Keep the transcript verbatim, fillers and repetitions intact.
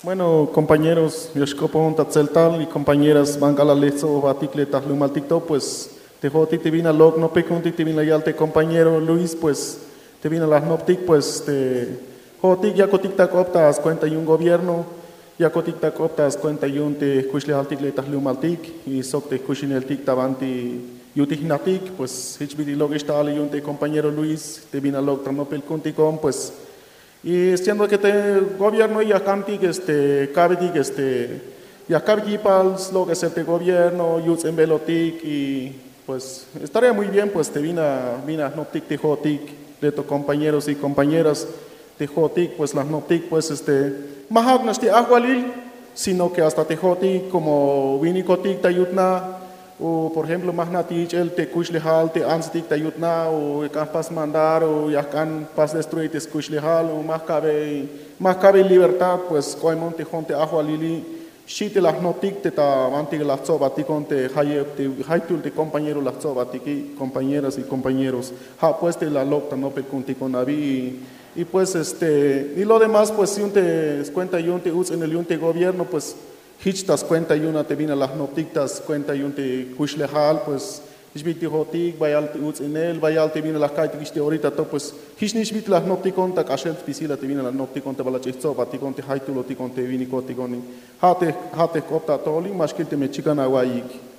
Bueno, compañeros, ya xk'opon ta tseltal y compañeras, ban k'alal le jtsobobtik le ta jlumaltik to, pues te jo'otik te bin la lok' nopel ku'untik te bin la yal te compañero Luis, pues te bin la jnoptik, pues te jo'otik yakotik ta k'op ta skuenta yu'un gobierno, yakotik ta k'op ta skuenta yu'un te jkuxlejaltik le ta jlumaltik y sok te jkuxineltik ta banti yu'un te jnatik, pues jich bit'il lok'ix ta alil yu'un te compañero Luis te bin la lok' ta nopel ku'untikon, pues y siendo que te gobierno ya jk'antik, este, ka'betik, este, ya ka'betik yipal slok'esel te gobierno, yuts'inbelotik y pues estaría muy bien, pues te bin la, bin la jnoptik te jo'otik le to compañeros y compañeras, te jo'otik pues la jnoptik, pues, este, ma ja'uknax te ajwalil, sino que hasta te jo'otik como winikotik ta yut na, o por ejemplo ma jna' te yich'el te kuxlejal te antstik ta yut na, o ya jk'an jpas mandar, o ya jk'an jpas destruir te skuxlejal, o ma jka'bey, ma jka'bey libertad, pues k'ohemon te jo'on te ajwalili, xchi te la jnoptik te ta banti la jtsobbatikon te jayeb te jaytul te compañero la jtsobbatiki, compañeras y compañeros, ja' pues te la lok' ta nopel ku'untikon abi. Y pues, este, y lo demás, pues yu'un te skuenta yu'un te uts'inel yu'un te gobierno, pues jich ta skuenta yu'un a te bin la jnoptik ta skuenta yu'un te kuxlejal, pues jich bit'il te jo'otik, bayal te uts'inel, bayal te bin la jka'iytikix te orita to, pues jich nix bit'il la jnoptikon ta k'axel spisil a te bin la jnoptikon te bal ach'ix jtsobbatikon te jaytulotikon te winikotikoni. Ja' te, ja' te jk'op ta atojolil, ma xkil teme chikan awa'iyik.